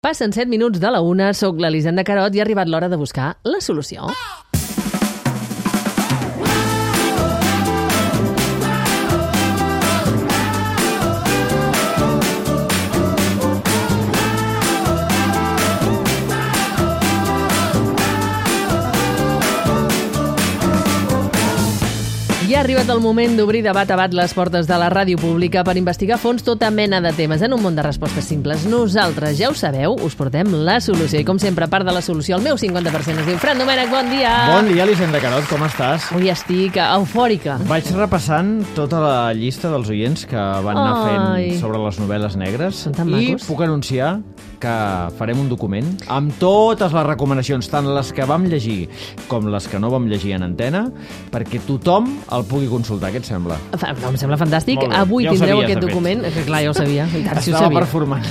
Passen 7 minuts de la 1, soc l'Elisenda Carot i ha arribat l'hora de buscar la solució. I ha arribat el moment d'obrir de bat a bat les portes de la ràdio pública per investigar a fons tota mena de temes en un món de respostes simples. Nosaltres, ja ho sabeu, us portem la solució. I com sempre, part de la solució, el meu 50% es diu Fran Domènech, bon dia! Bon dia, Elisenda Carot, com estàs? Avui estic eufòrica. Vaig repassant tota la llista dels oients que van anar fent sobre les novel·les negres. Són tan macos. I puc anunciar que farem un document amb totes les recomanacions, tant les que vam llegir com les que no vam llegir en antena, perquè tothom el pugui consultar. Què et sembla? No, em sembla fantàstic. Molt bé. Avui Ja ho tindreu sabies, aquest de fet. document. Que clar, ja ho sabia. I tant, si ho Estava sabia. performant.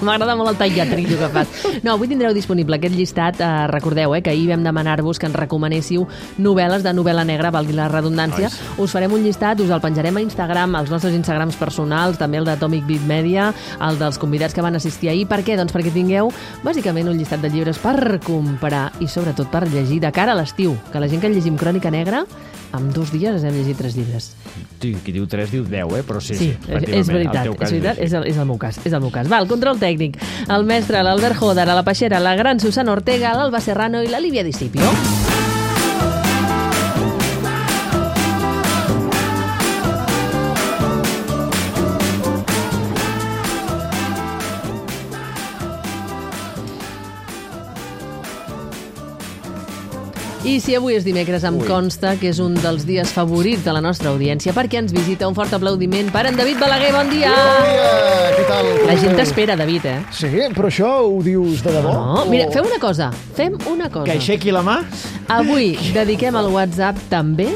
M'agrada molt el tall llatrillo que fas. No, avui tindreu disponible aquest llistat. Recordeu que ahir vam demanar-vos que ens recomanéssiu novel·les de novel·la negra, valgui la redundància. Us farem un llistat, us el penjarem a Instagram, als nostres Instagrams personals, també el d'Atomic Beat Media, el dels convidats que van assistir ahir. Per què? Doncs perquè tingueu, bàsicament, un llistat de llibres per comprar i, sobretot, per llegir de cara a l'estiu. Que la gent que llegim Crònica Negra, en 2 dies ens hem llegit 3 llibres. Sí, qui diu 3 diu 10, però sí, és veritat, és el meu cas. Va, el control tècnic. El mestre, l'Albert Joder, a la Peixera, la gran Susana Ortega, l'Alba Serrano i la Lívia Discipio. I si avui és dimecres, em consta que és un dels dies favorits de la nostra audiència perquè ens visita. Un fort aplaudiment per en David Balaguer. Bon dia! Bon dia! Què tal? La gent t'espera, David, Sí, però això ho dius de debò? No, mira, fem una cosa. Que aixequi la mà. Avui dediquem el WhatsApp també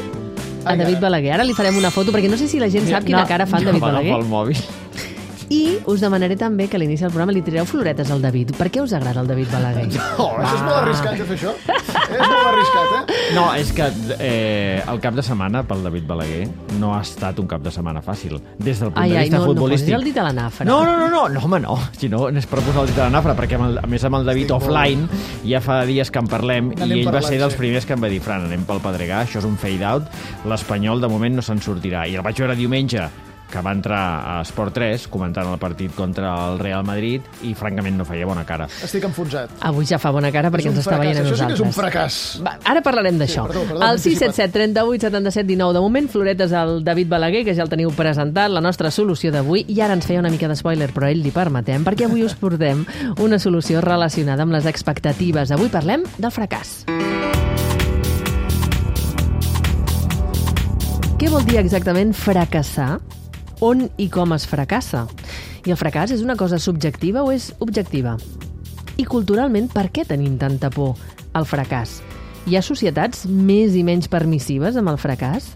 a David Balaguer. Ara li farem una foto, perquè no sé si la gent sap quina cara fa en David Balaguer. Pel mòbil. I us demanaré també que a l'inici del programa li tireu floretes al David. Per què us agrada el David Balaguer? No, això és molt arriscat de fer això. És molt arriscat, No, és que el cap de setmana pel David Balaguer no ha estat un cap de setmana fàcil. Des del punt de vista futbolístic. No posis el dit a la nafra. No, home, no. Si no, és per posar el dit a la nafra, perquè a més amb el David offline ja fa dies que en parlem i ell va ser dels primers que em va dir: Fran, anem pel Pedregà, això és un fade-out, l'Espanyol de moment no se'n sortirà. I el vaig veure diumenge, que va entrar a Esport 3 comentant el partit contra el Real Madrid i francament no feia bona cara. Estic enfonsat. Avui ja fa bona cara perquè ens està veient a nosaltres. Això sí que és un fracàs. Va, ara parlarem d'això. El 677 38 77 19. De moment, floretes al David Balaguer, que ja el teniu presentat, la nostra solució d'avui. I ara ens feia una mica d'espoiler, però a ell li permetem, perquè avui us portem una solució relacionada amb les expectatives. Avui parlem del fracàs. Què vol dir exactament fracassar? On i com es fracassa? I el fracàs és una cosa subjectiva o és objectiva? I culturalment, per què tenim tanta por al fracàs? Hi ha societats més i menys permissives amb el fracàs?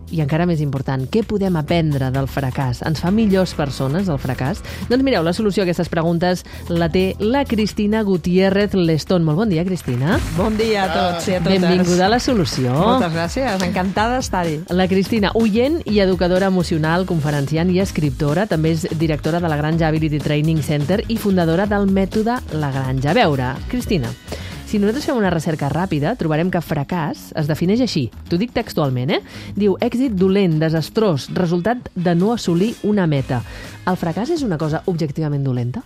I encara més important, què podem aprendre del fracàs? Ens fa millors persones el fracàs? Doncs mireu, la solució a aquestes preguntes la té la Cristina Gutiérrez Lestón. Molt bon dia, Cristina. Bon dia a tots i a totes. Benvinguda a la solució. Moltes gràcies, encantada d'estar-hi. La Cristina, oient i educadora emocional, conferenciant i escriptora, també és directora de la Granja Ability Training Center i fundadora del mètode La Granja. A veure, Cristina, si nosaltres fem una recerca ràpida, trobarem que fracàs es defineix així. T'ho dic textualment, Diu, èxit dolent, desastrós, resultat de no assolir una meta. El fracàs és una cosa objectivament dolenta?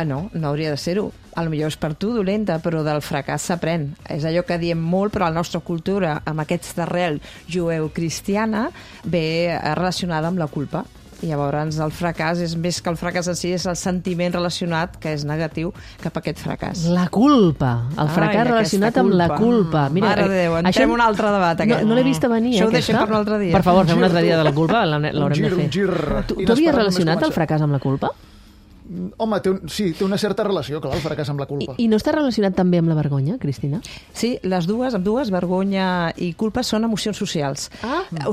No hauria de ser-ho. Potser és per tu dolenta, però del fracàs s'aprèn. És allò que diem molt, però la nostra cultura, amb aquesta arrel jueu-cristiana, ve relacionada amb la culpa. I llavors el fracàs és més que el fracàs en si, és el sentiment relacionat, que és negatiu, cap a aquest fracàs. La culpa. El fracàs relacionat amb la culpa. Mira, mare de Déu, entrem un altre debat. No l'he vist a venir, això ho deixem per un altre dia. Per favor, fem un altre dia de la culpa, l'haurem de fer. Un gir. Tu havies relacionat el fracàs amb la culpa? Home, té una certa relació, clar, el fracàs amb la culpa. I no està relacionat també amb la vergonya, Cristina? Sí, ambdues, vergonya i culpa, són emocions socials.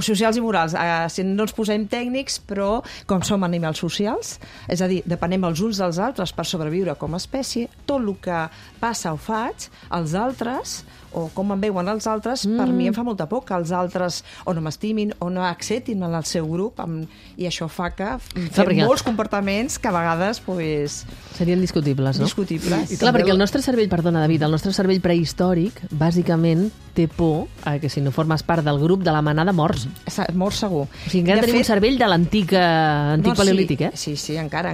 Socials i morals. Si no ens posem tècnics, però com som animals socials, és a dir, depenem els uns dels altres per sobreviure com a espècie, tot el que passa o faig, els altres o com em veuen els altres, per mi em fa molta por que els altres o no m'estimin o no acceptin en el seu grup, i això fa que fem molts comportaments que a vegades pues, serien discutibles, no? discutibles. Clar, perquè el nostre cervell, perdona, David, el nostre cervell prehistòric, bàsicament, té por que si no formes part del grup de la manada morts. Mort segur. O sigui, encara tenim un cervell de l'antic paleolític, Sí, encara.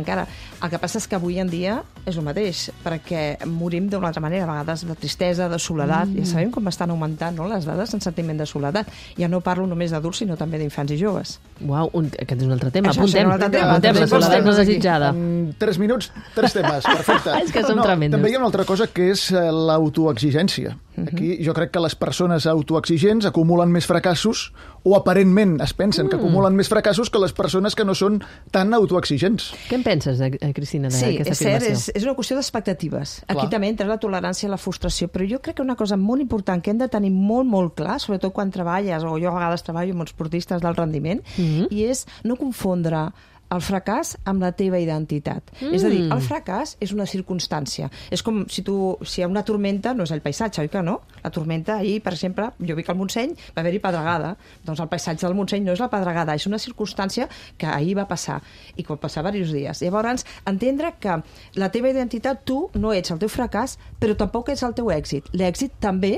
El que passa és que avui en dia és el mateix, perquè morim d'una altra manera, a vegades de tristesa, de soledat. Ja sabem com estan augmentant, no?, les dades en sentiment de soledat. Ja no parlo només d'adults, sinó també d'infants i joves. Uau, aquest és un altre tema. Això és un altre tema. Apuntem la soledat no desitjada. En 3 minuts, 3 temes, perfecte. És que som tremendos. També hi ha una altra cosa que és l'autoexigència. Aquí jo crec que les persones autoexigents acumulen més fracassos, o aparentment es pensen que acumulen més fracassos que les persones que no són tan autoexigents. Què en penses, Cristina, d'aquesta afirmació? Sí, és cert, és una qüestió d'expectatives. Aquí també entra la tolerància i la frustració, però jo crec que una cosa molt important que hem de tenir molt, molt clar, sobretot quan treballes, o jo a vegades treballo amb esportistes d'alt rendiment, i és no confondre el fracàs amb la teva identitat. És a dir, el fracàs és una circumstància. És com si hi ha una tormenta, no és el paisatge, oi que no? La tormenta, ahir, per exemple, jo vi que al Montseny va haver-hi pedregada. Doncs el paisatge del Montseny no és la pedregada, és una circumstància que ahir va passar, i que va passar diversos dies. Llavors, entendre que la teva identitat, tu no ets el teu fracàs, però tampoc ets el teu èxit. L'èxit també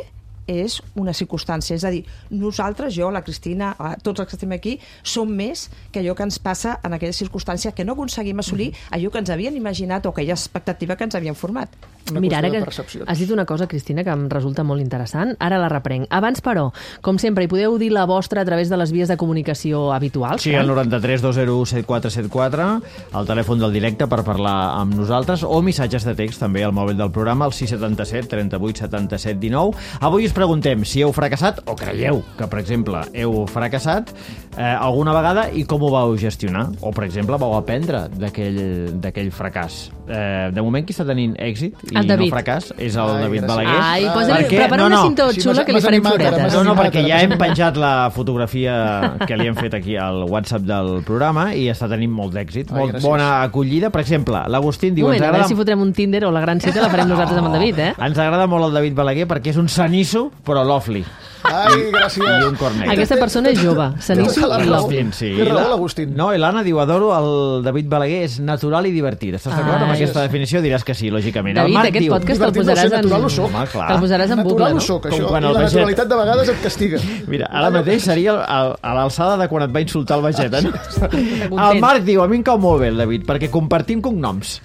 és una circumstància. És a dir, nosaltres, jo, la Cristina, tots els que estem aquí, som més que allò que ens passa en aquella circumstància que no aconseguim assolir allò que ens havien imaginat o aquella expectativa que ens havien format. Mira, ara que has dit una cosa, Cristina, que em resulta molt interessant. Ara la reprenc. Abans, però, com sempre, hi podeu dir la vostra a través de les vies de comunicació habituals. Sí, el 93 201 7474, el telèfon del directe per parlar amb nosaltres, o missatges de text també al mòbil del programa, el 677 38 77 19. Avui us preguntem si heu fracassat o creieu que, per exemple, heu fracassat alguna vegada i com ho vau gestionar. O, per exemple, vau aprendre d'aquell fracàs. De moment, qui està tenint èxit i no fracàs és el David Balaguer. Ai, prepara una cinta xula que li farem floretes. No, perquè ja hem penjat la fotografia que li hem fet aquí al WhatsApp del programa i està tenint molt d'èxit. Molt bona acollida. Per exemple, l'Agustín diu... A veure si fotrem un Tinder o la gran cita la farem nosaltres amb el David, eh? Ens agrada molt el David Balaguer perquè és un sanisso, però lovely. Ai, gràcies. I un cornet. Aquesta persona és jove, sanisso i lovely. Té raó, l'Agustín. No, i l'Anna diu, adoro el David Balaguer, és natural i divertit. Estàs d'acord amb aquesta definició? Diràs que sí, lògicament. David, aquest podcast te'l posaràs en bucle, no? Soc, això. I la naturalitat de vegades et castiga. Mira, ara mateix seria a l'alçada de quan et va insultar el Vegeta. El Marc diu, a mi em cau molt bé el David, perquè compartim cognoms.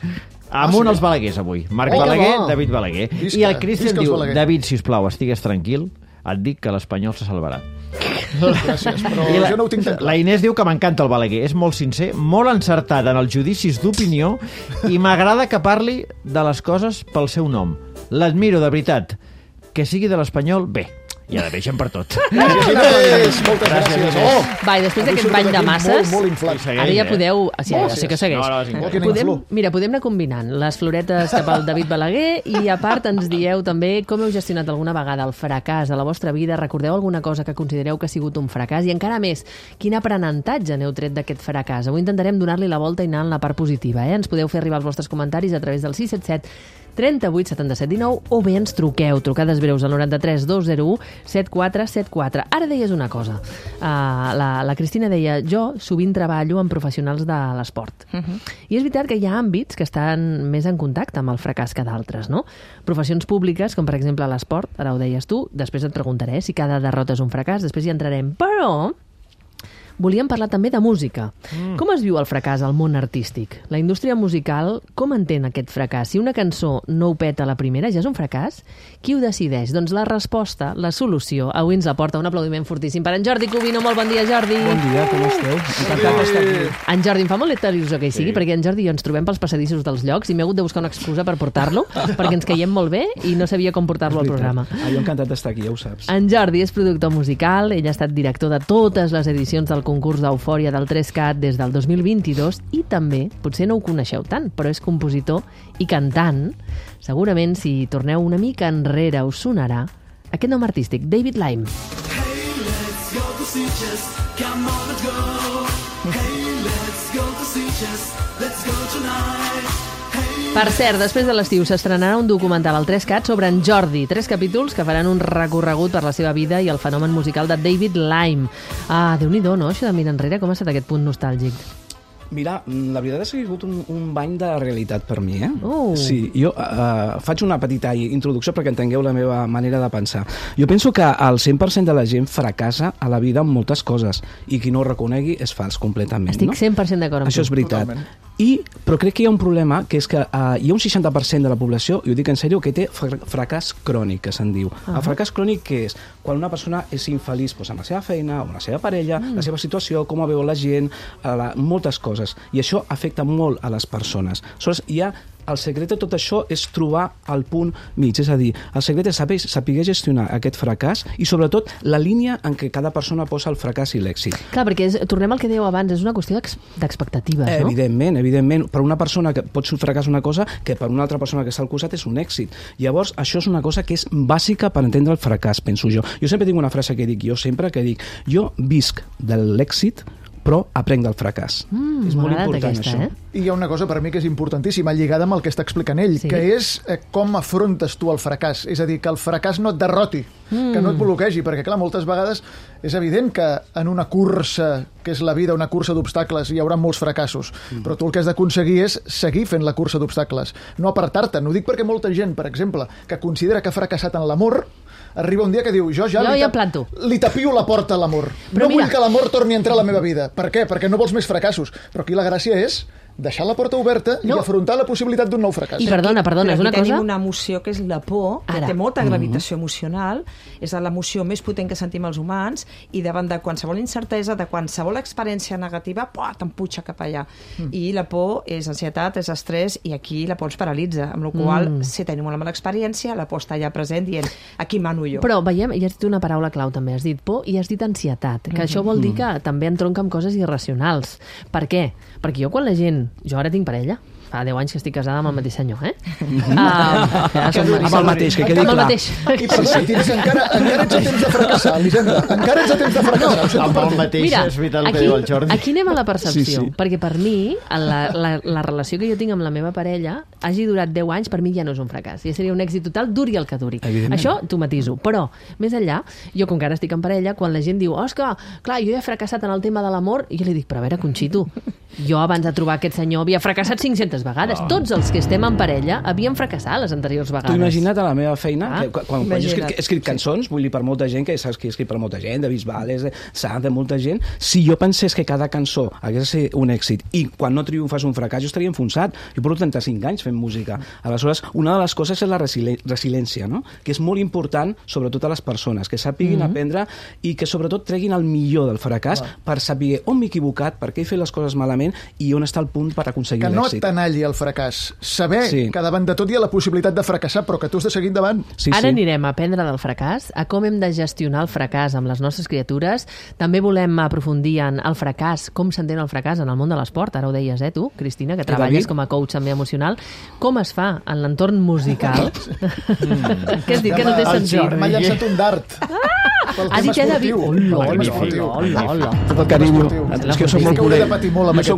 Amunt els Balaguers avui. Marc Balaguer, David Balaguer. I el Cristian diu, David, sisplau, estigues tranquil, et dic que l'Espanyol se salvarà. Gràcies, però jo no ho tinc tan clar. La Inés diu que m'encanta el Balaguer, és molt sincer, molt encertat en els judicis d'opinió i m'agrada que parli de les coses pel seu nom. L'admiro, de veritat. Que sigui de l'Espanyol, bé. I ara deixem per tot. Gràcies, moltes gràcies. Va, i després d'aquest bany de masses, molt inflat. ara ja podeu... Sí que segueix. Mira, podem anar combinant les floretes cap al David Balaguer i, a part, ens dieu també com heu gestionat alguna vegada el fracàs a la vostra vida. Recordeu alguna cosa que considereu que ha sigut un fracàs? I encara més, quin aprenentatge n'heu tret d'aquest fracàs? Avui intentarem donar-li la volta i anar en la part positiva. Ens podeu fer arribar els vostres comentaris a través del 677 38 77 19 o bé ens truqueu, trucades breus al 93 201 7474. Ara deies una cosa. La Cristina deia, jo sovint treballo amb professionals de l'esport. I és veritat que hi ha àmbits que estan més en contacte amb el fracàs que d'altres, no? Professions públiques, com per exemple l'esport, ara ho deies tu, després et preguntaré si cada derrota és un fracàs, després hi entrarem. Però volíem parlar també de música. Com es viu el fracàs al món artístic? La indústria musical, com entén aquest fracàs? Si una cançó no ho peta a la primera, ja és un fracàs? Qui ho decideix? Doncs la resposta, la solució, avui ens la porta un aplaudiment fortíssim per en Jordi Cubino. Molt bon dia, Jordi. Bon dia, com esteu? Encantat d'estar aquí. En Jordi, em fa molta il·lusió que hi sigui, perquè en Jordi i jo ens trobem pels passadissos dels llocs i m'he hagut de buscar una excusa per portar-lo, perquè ens caiem molt bé i no sabia com portar-lo al programa. Jo encantat d'estar aquí, ja ho saps. En Jordi és productor musical, ell ha estat director de totes les edicions del concurs d'Eufòria del 3CAT des del 2022 i també, potser no ho coneixeu tant, però és compositor i cantant. Segurament, si torneu una mica enrere, us sonarà aquest nom artístic, David Lime. Hey, let's go to Sitges, come on, let's go. Hey, let's go to Sitges, let's go tonight. Per cert, després de l'estiu s'estrenarà un documental al 3CAT sobre en Jordi. 3 capítols que faran un recorregut per la seva vida i el fenomen musical de David Lime. Déu-n'hi-do, no? Això de mirar enrere, com ha estat aquest punt nostàlgic? Mira, la veritat és que ha sigut un bany de realitat per mi, Sí, jo faig una petita introducció perquè entengueu la meva manera de pensar. Jo penso que el 100% de la gent fracassa a la vida amb moltes coses i qui no ho reconegui és fals completament. Estic 100% d'acord amb tu. Això és veritat. Però crec que hi ha un problema, que és que hi ha un 60% de la població, i ho dic en sèrio, que té fracàs crònic, que se'n diu. El fracàs crònic què és? Quan una persona és infeliç amb la seva feina, amb la seva parella, la seva situació, com veu la gent, moltes coses. I això afecta molt a les persones. Aleshores, el secret de tot això és trobar el punt mig, és a dir, el secret és saber gestionar aquest fracàs i sobretot la línia en què cada persona posa el fracàs i l'èxit. Clar, perquè tornem al que dèieu abans, és una qüestió d'expectatives, no? Evidentment. Per una persona que pot ser un fracàs una cosa, que per una altra persona que està al costat és un èxit. Llavors, això és una cosa que és bàsica per entendre el fracàs, penso jo. Jo sempre tinc una frase que dic, jo visc de l'èxit, però aprenc del fracàs. És molt important, això. I hi ha una cosa per mi que és importantíssima, lligada amb el que està explicant ell, que és com afrontes tu el fracàs. És a dir, que el fracàs no et derroti, que no et bloquegi, perquè, clar, moltes vegades és evident que en una cursa, que és la vida, una cursa d'obstacles, hi haurà molts fracassos, però tu el que has d'aconseguir és seguir fent la cursa d'obstacles, no apartar-te. No ho dic perquè molta gent, per exemple, que considera que ha fracassat en l'amor, arriba un dia que diu, jo li tapio la porta a l'amor. No vull que l'amor torni a entrar a la meva vida. Per què? Perquè no vols més fracassos. Però aquí la gràcia és deixar la porta oberta i afrontar la possibilitat d'un nou fracàs. I perdona, és una cosa... Tenim una emoció que és la por, que té molta gravitació emocional, és l'emoció més potent que sentim els humans, i davant de qualsevol incertesa, de qualsevol experiència negativa, t'empuja cap allà. I la por és ansietat, és estrès, i aquí la por ens paralitza, amb la qual si tenim una mala experiència, la por està allà present dient, aquí mano jo. Però veiem, i has dit una paraula clau també, has dit por i has dit ansietat, que això vol dir que també entronca amb coses irracionals. Per què? Perquè jo quan la gent... Jo ara tinc parella, fa 10 anys que estic casada amb el mateix senyor, amb el mateix, que quedi clar. Amb el mateix. I perdona, encara ets a temps de fracassar, Elisenda. Encara ets a temps de fracassar. Amb el mateix, és veritat el que diu el Jordi. Aquí anem a la percepció, perquè per mi, la relació que jo tinc amb la meva parella, hagi durat 10 anys, per mi ja no és un fracàs. Ja seria un èxit total, duri el que duri. Això t'ho matiso. Però, més enllà, jo com que ara estic en parella, quan la gent diu, és que, clar, jo he fracassat en el tema de l'amor, i jo li dic, però a veure, Conxito, jo abans de trobar aquest senyor havia fracassat 500 vegades. Tots els que estem en parella havíem fracassat les anteriors vegades. T'ho imagina't a la meva feina, quan jo he escrit cançons, vull dir, per molta gent, que saps que he escrit per molta gent, de Bisbales, de molta gent, si jo pensés que cada cançó hagués de ser un èxit i quan no triomfes un fracàs, jo estaria enfonsat. Jo porto 35 anys fent música. Aleshores, una de les coses és la resiliència, no? Que és molt important, sobretot a les persones, que sàpiguin aprendre i que sobretot treguin el millor del fracàs per saber on m'he equivocat, per què he fet les coses malament i on està el punt per aconseguir l'èxit. Que no t'analli el fracàs. Saber que davant de tot hi ha la possibilitat de fracassar, però que tu has de seguir endavant. Ara anirem a aprendre del fracàs, a com hem de gestionar el fracàs amb les nostres criatures. També volem aprofundir en el fracàs, com s'entén el fracàs en el món de l'esport. Ara ho deies, tu, Cristina, que treballes com a coach també emocional. Com es fa en l'entorn musical? Què has dit, que no té sentit? M'ha llançat un dart. Ha dit que David... Hola. Tot el carinyo. És que jo soc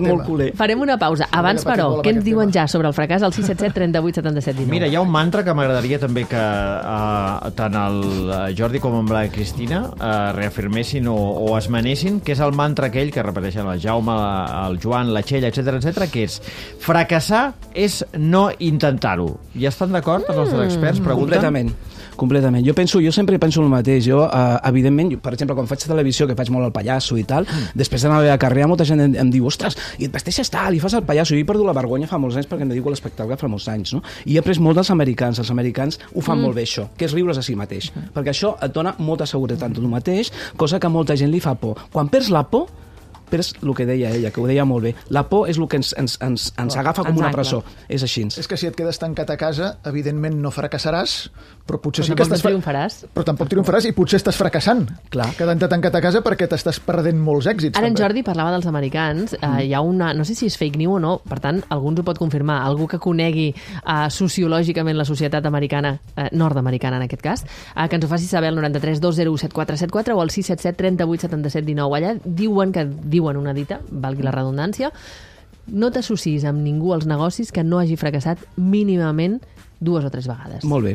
molt culer. Farem una pausa. Abans, però, què ens diuen ja sobre el fracàs al 677 38 77 19? Mira, hi ha un mantra que m'agradaria també que tant el Jordi com amb la Cristina reafirmessin o esmenessin, que és el mantra aquell que repeteixen el Jaume, el Joan, la Txell, etc, que és fracassar és no intentar-ho. I estan d'acord els nostres experts? Pregunten? Completament. Jo sempre penso el mateix. Jo, evidentment, per exemple, quan faig televisió, que faig molt el pallasso i tal, després de la meva carrera molta gent em diu, ostres, i et vesteixes tal, i fas el pallasso. Jo he perdut la vergonya fa molts anys perquè em dedico a l'espectacle fa molts anys, no? I he après molt dels americans. Els americans ho fan molt bé, això, que és riure's a si mateix. Perquè això et dona molta seguretat en tu mateix, cosa que a molta gent li fa por. Quan perds la por, perds el que deia ella, que ho deia molt bé. La por és el que ens agafa com una presó. És així. És que si et quedes tancat a casa, evidentment no fracassaràs, però potser sí que triomfaràs. Però tampoc triomfaràs i potser estàs fracassant. Clar. Quedant-te tancat a casa perquè t'estàs perdent molts èxits. Ara en Jordi parlava dels americans. Hi ha una... No sé si és fake news o no, per tant, algú ens ho pot confirmar. Algú que conegui sociològicament la societat americana, nord-americana en aquest cas, que ens ho faci saber al 93 201 7474 o al 677 38 77 19. Allà diuen una dita, valgui la redundància, no t'associs amb ningú als negocis que no hagi fracassat mínimament 2 o 3 vegades. Molt bé.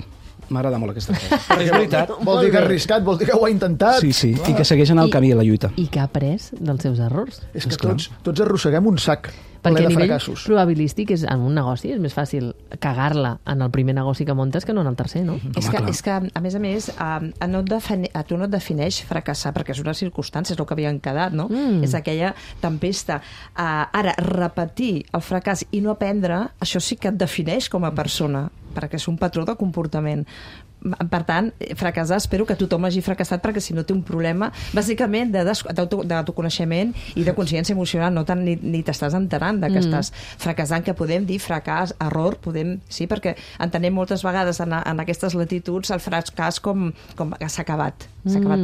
M'agrada molt aquesta frase. És veritat. Vol dir que ha arriscat, vol dir que ho ha intentat. Sí, i que segueixen el camí a la lluita. I que ha après dels seus errors. És que tots arrosseguem un sac ple Perquè a de nivell fracassos. probabilístic en un negoci és més fàcil cagar-la en el primer negoci que montes que no en el tercer, no? És que, a més, a tu no et defineix fracassar, perquè és una circumstància, és el que havien quedat, no? És aquella tempesta. Ara, repetir el fracàs i no aprendre, això sí que et defineix com a persona, perquè és un patró de comportament. Per tant, fracassar, espero que tothom hagi fracassat, perquè si no té un problema, bàsicament, d'autoconeixement i de consciència emocional, no tant ni t'estàs enterant que estàs fracassant, que podem dir fracàs, error, sí, perquè entenem moltes vegades en aquestes latituds el fracàs com que s'ha acabat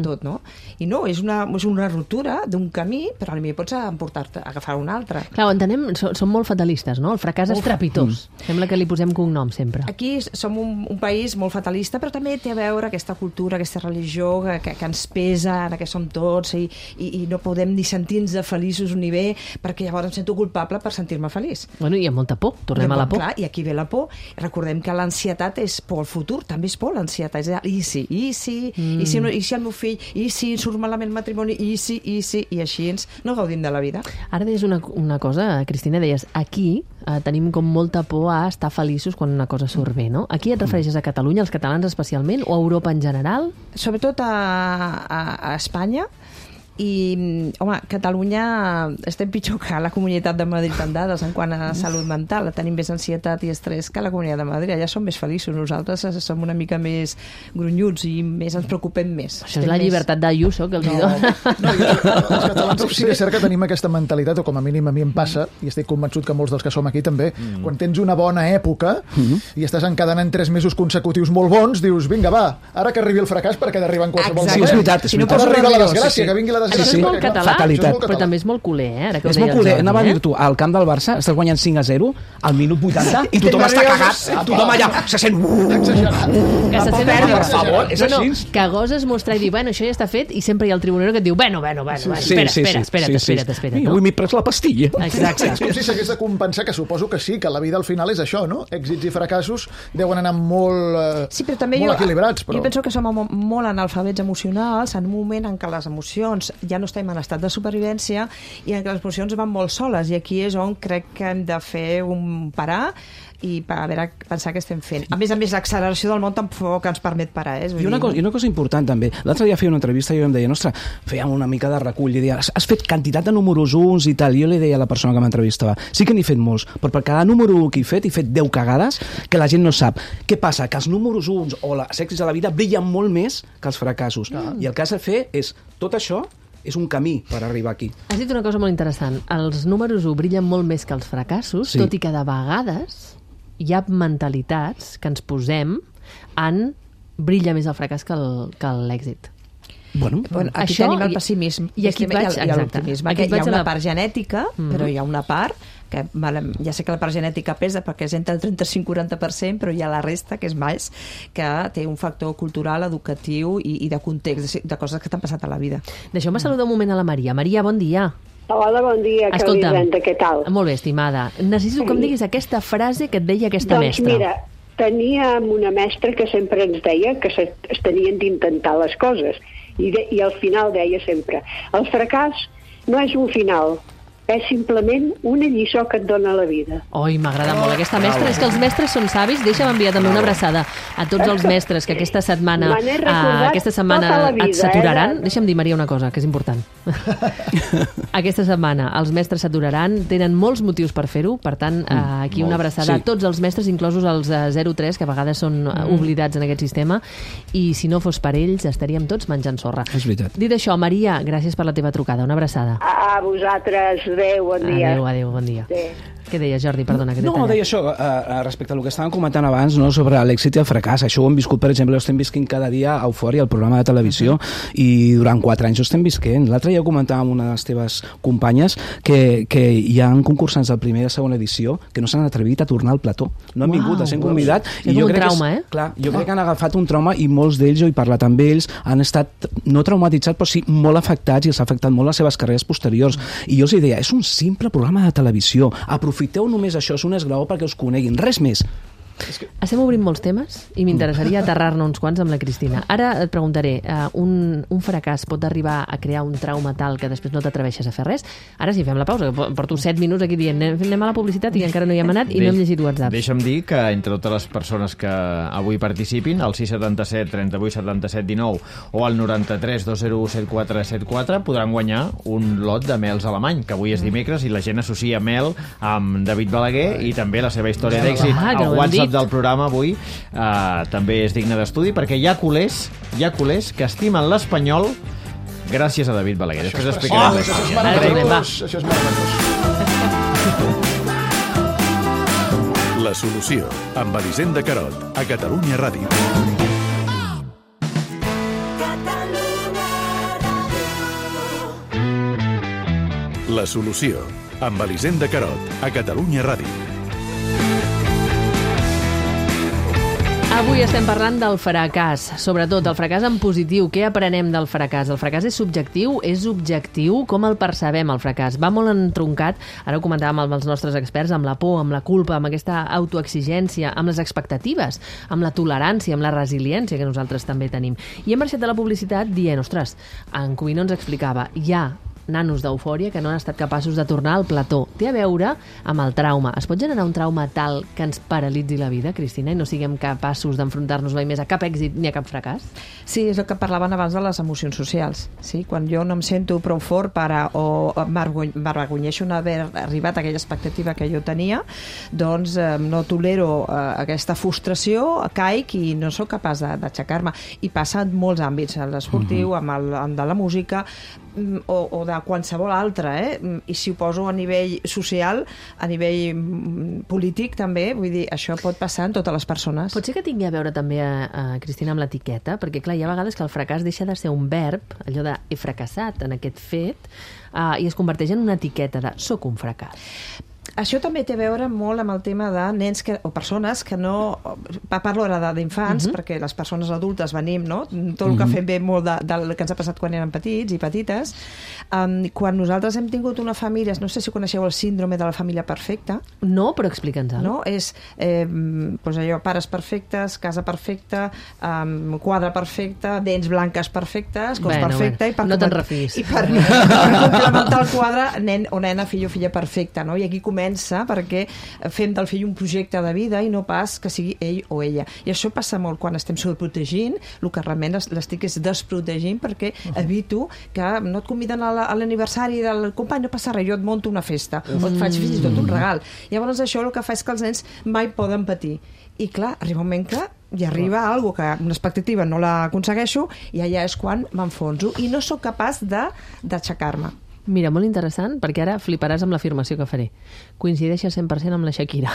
tot, no? I no, és una ruptura d'un camí, però potser pots emportar-te a agafar un altre. Clar, entenem, som molt fatalistes, no? El fracàs és trepitós. Sembla que li posem cognom sempre. Aquí som un país molt fatalista, però també té a veure aquesta cultura, aquesta religió que ens pesa, en què som tots, i no podem ni sentir-nos feliços ni bé, perquè llavors em sento culpable per sentir-me feliç. Bueno, hi ha molta por, tornem a la por. Clar, i aquí ve la por. Recordem que l'ansietat és por al futur, també és por l'ansietat. És i si el meu fill, i si surt malament el matrimoni, i així no gaudim de la vida. Ara deies una cosa, Cristina, deies, aquí tenim com molta por a estar feliços quan una cosa surt bé, no? Aquí et refereixes a Catalunya, als catalans especialment, o a Europa en general? Sobretot a Espanya. I, home, Catalunya estem pitjor que la Comunitat de Madrid en dades en quant a salut mental. Tenim més ansietat i estrès que la Comunitat de Madrid. Allà som més feliços. Nosaltres som una mica més grunyuts i més ens preocupem més. Això és la llibertat d'Ayuso que els hi dona. Els catalans sí que és cert que tenim aquesta mentalitat, o com a mínim a mi em passa, i estic convençut que molts dels que som aquí també, quan tens una bona època i estàs encadenant 3 mesos consecutius molt bons, dius, vinga, va, ara que arribi el fracàs perquè ha d'arribar en qualsevol moment. Sí, és veritat. Si no pot arribar la desgràcia, que vingui la desgràcia. Això és molt català, fatalitat. però també és molt culer, ara que ho És deia molt el culer. Jordi. Anava a dir tu, al camp del Barça estàs guanyant 5-0 al minut 80 i tothom està cagat. Tothom allà se sent... Que se sent per favor, és així. Que goses mostrar i dir, bueno, això ja està fet, i sempre hi ha el tribunero que et diu, bueno, espera't. Avui m'he pres la pastilla. Exacte. És com si s'hagués de compensar, que suposo que sí, que la vida al final és això, no? Èxits i fracassos deuen anar molt, sí, però també molt equilibrats. Però... Jo penso que som molt analfabets emocionals en un moment en què les emocions ja no estem en estat de supervivència i en què les emocions van molt soles, i aquí és on crec que hem de fer un parar i pensar què estem fent. A més, l'acceleració del món tampoc ens permet parar. I una cosa important també. L'altre dia feia una entrevista i jo em deia, ostres, fèiem una mica de recull i deia, has fet quantitat de números uns i tal. I jo li deia a la persona que m'entrevistava, sí que n'he fet molts, però per cada número 1 que he fet 10 cagades que la gent no sap. Què passa? Que els números 1 o els èxits de la vida brillen molt més que els fracassos. I el que has de fer és tot això és un camí per arribar aquí. Has dit una cosa molt interessant. Els números 1 brillen molt més que els fracassos, tot i que de vegades hi ha mentalitats que ens posem en brilla més el fracàs que l'èxit. Bueno, aquí tenim el pessimisme i aquí l'optimisme. Hi ha una part genètica, però hi ha una part que ja sé que la part genètica pesa perquè és entre el 35-40%, però hi ha la resta, que és més, que té un factor cultural, educatiu i de context, de coses que t'han passat a la vida. Deixeu-me saludar un moment a la Maria. Maria, bon dia. Hola, bon dia, Elisenda, què tal? Molt bé, estimada. Necessito que em diguis aquesta frase que et deia aquesta mestra. Doncs mira, teníem una mestra que sempre ens deia que es tenien d'intentar les coses i al final deia sempre, el fracàs no és un final, és simplement una lliçó que et dona la vida. Oi, m'agrada molt aquesta mestra. És que els mestres són savis. Deixa'm enviar també una abraçada a tots els mestres que aquesta setmana et saturaran. Deixa'm dir, Maria, una cosa, que és important. Aquesta setmana els mestres s'aturaran, tenen molts motius per fer-ho, per tant, aquí una abraçada a tots els mestres, inclosos els 0-3, que a vegades són oblidats en aquest sistema, i si no fos per ells estaríem tots menjant sorra. És veritat. Dit això, Maria, gràcies per la teva trucada. Una abraçada. A vosaltres. Adéu, bon dia. Adéu, bon dia. Què deia, Jordi? Perdona, que t'he tallat. No, deia això, respecte al que estàvem comentant abans, no, sobre l'èxit i el fracàs. Això ho hem viscut, per exemple, ho estem visquint cada dia a Eufòria, el programa de televisió, i durant 4 anys ho estem visquent. L'altre dia comentava amb una de les teves companyes que hi ha concursants del primer i de segona edició que no s'han atrevit a tornar al plató. No han vingut, s'han convidat. És un trauma, Clar, jo crec que han agafat un trauma i molts d'ells, jo he parlat amb ells, han estat no traumatitzats, però sí molt afectats i els ha afectat molt les seves carreres posteriors. I jo els deia, és un simple programa de televisió, aprofiteu només això, és un esglaó perquè us coneguin, res més. Estem obrint molts temes i m'interessaria aterrar-ne uns quants amb la Cristina. Ara et preguntaré, un fracàs pot arribar a crear un trauma tal que després no t'atreveixes a fer res? Ara sí, fem la pausa, que porto 7 minuts aquí dient anem a la publicitat i encara no hi hem anat i no hem llegit WhatsApp. Deixa'm dir que entre totes les persones que avui participin, al 677 38 77 19 o al 93 201 7474 podran guanyar un lot de mels alemany, que avui és dimecres i la gent associa mel amb David Balaguer i també la seva història d'èxit. El WhatsApp del programa avui també és digne d'estudi perquè hi ha culers que estimen l'espanyol gràcies a David Balaguer. Després explicarem això és meravellós. Això és meravellós. La solució, amb Elisenda Carot, a Catalunya Ràdio. La solució, amb Elisenda Carot, a Catalunya Ràdio. Avui estem parlant del fracàs, sobretot el fracàs en positiu. Què aprenem del fracàs? El fracàs és subjectiu, és objectiu? Com el percebem, el fracàs? Va molt entroncat, ara ho comentàvem amb els nostres experts, amb la por, amb la culpa, amb aquesta autoexigència, amb les expectatives, amb la tolerància, amb la resiliència que nosaltres també tenim. I hem marxat de la publicitat dient, ostres, en Covino ens explicava, hi ha nanos d'eufòria que no han estat capaços de tornar al plató. Té a veure amb el trauma. Es pot generar un trauma tal que ens paralitzi la vida, Cristina, i no siguem capaços d'enfrontar-nos mai més a cap èxit ni a cap fracàs? Sí, és el que parlaven abans de les emocions socials. Sí? Quan jo no em sento prou fort o m'avergonyeixo d'haver arribat a aquella expectativa que jo tenia, doncs no tolero aquesta frustració, caic i no sóc capaç d'aixecar-me. I passa en molts àmbits, en l'esportiu, amb de la música, o de qualsevol altre, i si ho poso a nivell social, a nivell polític també, vull dir, això pot passar en totes les persones. Pot ser que tingui a veure també, Cristina, amb l'etiqueta, perquè clar, hi ha vegades que el fracàs deixa de ser un verb, allò de he fracassat en aquest fet, i es converteix en una etiqueta de soc un fracàs. Això també té a veure molt amb el tema de nens o persones que no... Parlo ara d'infants, perquè les persones adultes venim, no? Tot el que fem ve molt del que ens ha passat quan érem petits i petites. Quan nosaltres hem tingut una família... No sé si coneixeu el síndrome de la família perfecta. No, però explica'ns-ho. No? És doncs allò, pares perfectes, casa perfecta, quadre perfecte, dents blanques perfectes, cos perfecte... No te'n refis. I per complementar el quadre, nen o nena, fill o filla perfecta, no? I aquí comença perquè fem del fill un projecte de vida i no pas que sigui ell o ella. I això passa molt quan estem sobreprotegint, el que realment l'estic és desprotegint perquè evito que no et conviden a l'aniversari del company, no passa res, jo et monto una festa o et faig fins i tot un regal. Llavors això el que fa és que els nens mai poden patir. I clar, arriba un moment que hi arriba algo que una expectativa no l'aconsegueixo i allà és quan m'enfonso i no sóc capaç d'aixecar-me. Mira, molt interessant, perquè ara fliparàs amb l'afirmació que faré. Coincideixes 100% amb la Shakira.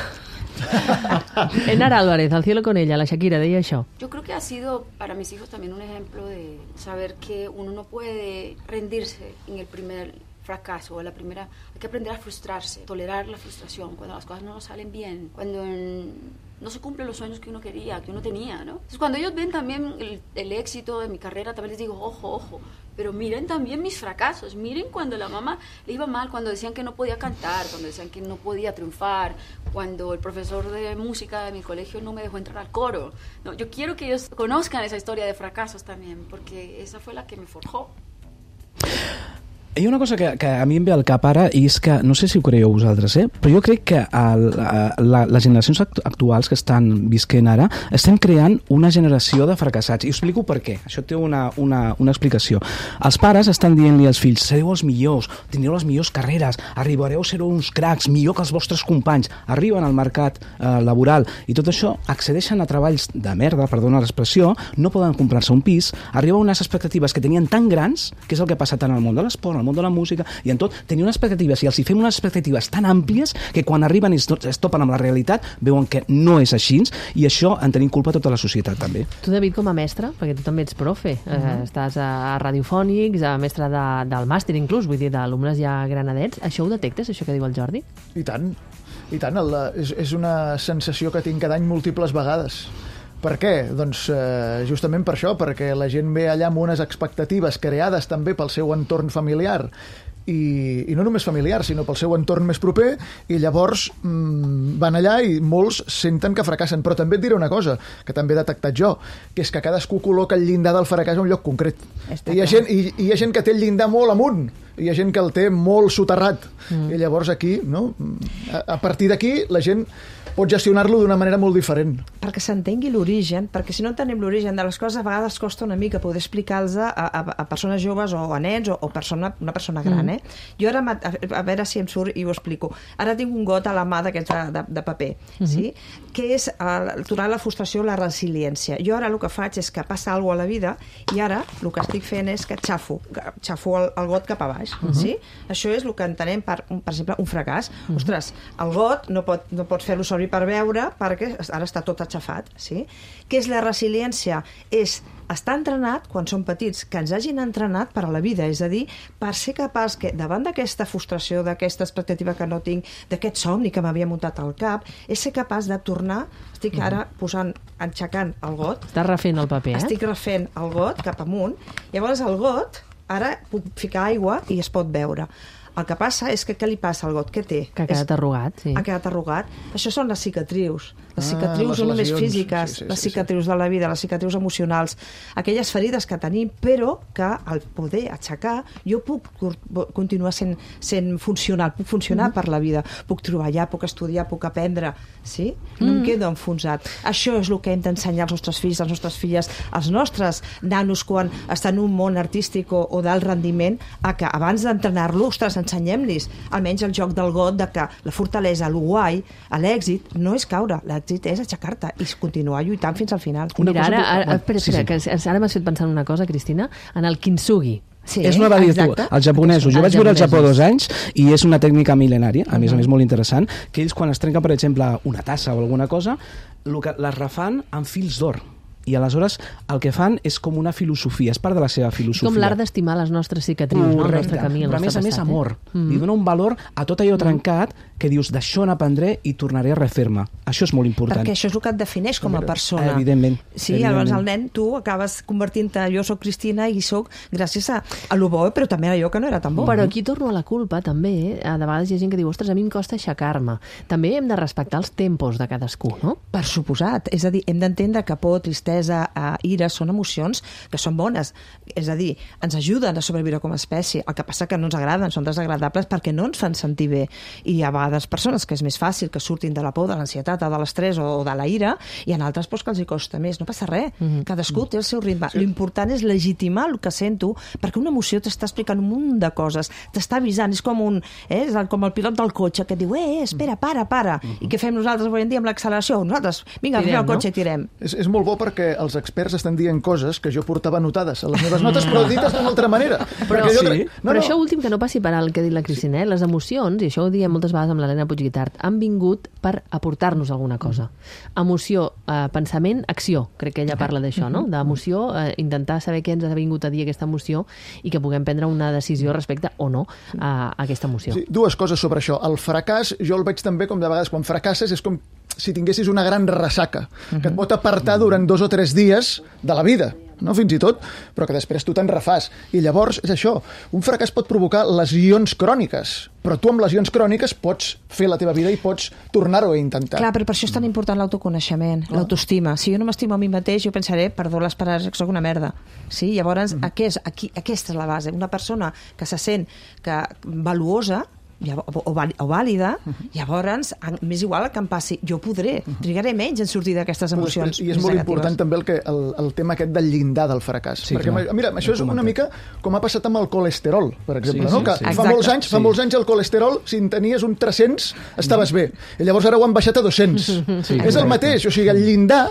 Enara Álvarez, Al cielo con ella, la Shakira deia això. Yo creo que ha sido para mis hijos también un ejemplo de saber que uno no puede rendirse en el primer fracaso o la primera. Hay que aprender a frustrarse, tolerar la frustración cuando las cosas no nos salen bien, cuando no se cumplen los sueños que uno quería, que uno tenía, ¿no? Entonces, cuando ellos ven también el éxito de mi carrera, también les digo, ojo, pero miren también mis fracasos, miren cuando la mamá le iba mal, cuando decían que no podía cantar, cuando decían que no podía triunfar, cuando el profesor de música de mi colegio no me dejó entrar al coro. No, yo quiero que ellos conozcan esa historia de fracasos también, porque esa fue la que me forjó. Hi ha una cosa que a mi em ve al cap ara i és que, no sé si ho creieu vosaltres, però jo crec que les generacions actuals que estan visquent ara estem creant una generació de fracassats. I us explico per què. Això té una explicació. Els pares estan dient-li als fills, sereu els millors, tindreu les millors carreres, arribareu a ser uns cracs, millor que els vostres companys. Arriben al mercat laboral i tot això accedeixen a treballs de merda, perdona l'expressió, no poden comprar-se un pis, arriben unes expectatives que tenien tan grans, que és el que passa tant al món de l'esport, al món de la música i en tot, tenien unes expectatives i els hi fem unes expectatives tan àmplies que quan arriben i es topen amb la realitat veuen que no és així i això en tenim culpa tota la societat també. Tu, David, com a mestre, perquè tu també ets profe, estàs a Radiofònics, a mestre del màster inclús, vull dir, d'alumnes ja granadets, això ho detectes, això que diu el Jordi? I tant, és una sensació que tinc cada any múltiples vegades. Per què? Doncs justament per això, perquè la gent ve allà amb unes expectatives creades també pel seu entorn familiar i no només familiar, sinó pel seu entorn més proper, i llavors van allà i molts senten que fracassen. Però també et diré una cosa, que també he detectat jo, que és que cadascú col·loca el llindar del fracàs a un lloc concret. I hi ha gent que té el llindar molt amunt, i hi ha gent que el té molt soterrat. I llavors aquí, no? A partir d'aquí, la gent pot gestionar-lo d'una manera molt diferent. Perquè s'entengui l'origen, perquè si no entenem l'origen de les coses, a vegades costa una mica poder explicar-los a persones joves o a nens o una persona gran. Jo ara, a veure si em surt i ho explico. Ara tinc un got a la mà d'aquests de paper, sí? Que és aturar la frustració, la resiliència. Jo ara el que faig és que passa alguna cosa a la vida i ara el que estic fent és que xafo el got cap a baix. Sí? Això és el que entenem per exemple, un fracàs. Ostres, el got no pots fer-lo servir per veure perquè ara està tot aixafat. Sí? Què és la resiliència? És estar entrenat, quan som petits, que ens hagin entrenat per a la vida, és a dir, per ser capaç que davant d'aquesta frustració, d'aquesta expectativa que no tinc, d'aquest somni que m'havia muntat al cap, és ser capaç de tornar, estic ara enxecant el got. Estàs refent el paper, Estic refent el got cap amunt, llavors el got, ara puc ficar aigua i es pot veure. El que passa és que què li passa al got? Què té? Que ha quedat arrugat, sí. Ha quedat arrugat. Això són les cicatrius. Les cicatrius no només físiques, les cicatrius de la vida, les cicatrius emocionals, aquelles ferides que tenim, però que al poder aixecar jo puc continuar sent funcional, puc funcionar per la vida, puc treballar, puc estudiar, puc aprendre, sí? No em quedo enfonsat. Això és el que hem d'ensenyar als nostres fills, a les nostres filles, als nostres nanos quan estan en un món artístic o d'alt rendiment, a que abans d'entrenar-lo, ostres, ensenyem-los almenys el joc del got, de que la fortalesa, el guai, l'èxit no és caure, l'èxit és aixecar-te i continuar lluitant fins al final. Mira, espera, que ara m'has fet pensar en una cosa, Cristina, en el kintsugi. Sí, és una va dir tu, els japonesos. Jo vaig viure al Japó 2 anys i és una tècnica mil·lenària, a més molt interessant, que ells quan es trenca, per exemple, una tassa o alguna cosa, les refan amb fils d'or. I aleshores el que fan és com una filosofia, és part de la seva filosofia. Com l'art d'estimar les nostres cicatrius, el nostre camí, el nostre passat. Però a més amor. Li dona un valor a tot allò trencat que dius, d'això n'aprendré i tornaré a refer-me. Això és molt important. Perquè això és el que et defineix com a persona. Evidentment. Sí, llavors el nen, tu acabes convertint-te, jo soc Cristina i soc gràcies a lo bo, però també a allò que no era tan bo. Però aquí torno a la culpa, també. De vegades hi ha gent que diu, ostres, a mi em costa aixecar-me. També hem de respectar els tempos de cadascú, no? Per suposat. És a dir, hem d'entendre que por, tristesa, ira són emocions que són bones. És a dir, ens ajuden a sobreviure com a espècie. El que passa que no ens agraden, són desagradables perquè no ens fan sentir bé. I hi ha vegades persones que és més fàcil que surtin de la por, de l'ansietat, o de l'estrès o de la ira, i en altres que els hi costa més. No passa res. Cadascú té el seu ritme. L'important és legitimar el que sento, perquè una emoció t'està explicant un munt de coses, t'està avisant. És com com el pilot del cotxe que diu, espera, para. I què fem nosaltres avui en dia amb l'acceleració? Nosaltres, vinga, agafem el cotxe i tirem. És molt bo perquè els experts estan dient coses que jo portava anotades a les meves notes, però dites d'una altra manera. Però això últim, que no passi per alt, que ha dit la Cristina, les emocions, i això ho diem moltes vegades amb l'Helena Puigguitart, han vingut per aportar-nos alguna cosa. Emoció, pensament, acció. Crec que ella parla d'això, no? D'emoció, intentar saber què ens ha vingut a dir aquesta emoció i que puguem prendre una decisió respecte o no a aquesta emoció. Sí, dues coses sobre això. El fracàs, jo el veig també com de vegades quan fracasses, és com si tinguessis una gran ressaca, que et pot apartar durant 2 o 3 dies de la vida, no fins i tot, però que després tu te'n refàs. I llavors, és això, un fracàs pot provocar lesions cròniques, però tu amb lesions cròniques pots fer la teva vida i pots tornar-ho a intentar. Clar, però per això és tan important l'autoconeixement, l'autoestima. Si jo no m'estimo a mi mateix, jo pensaré, perdó les paraules, que sóc una merda. Sí? Llavors, aquesta és la base. Una persona que se sent valuosa, o vàlida, llavors m'és igual que em passi, jo podré, trigaré menys en sortir d'aquestes emocions i és molt important també el tema aquest del llindar del fracàs, perquè mira, això és una mica com ha passat amb el colesterol, per exemple, no? Que fa molts anys el colesterol, si en tenies un 300 estaves bé, i llavors ara ho han baixat a 200. És el mateix, o sigui, el llindar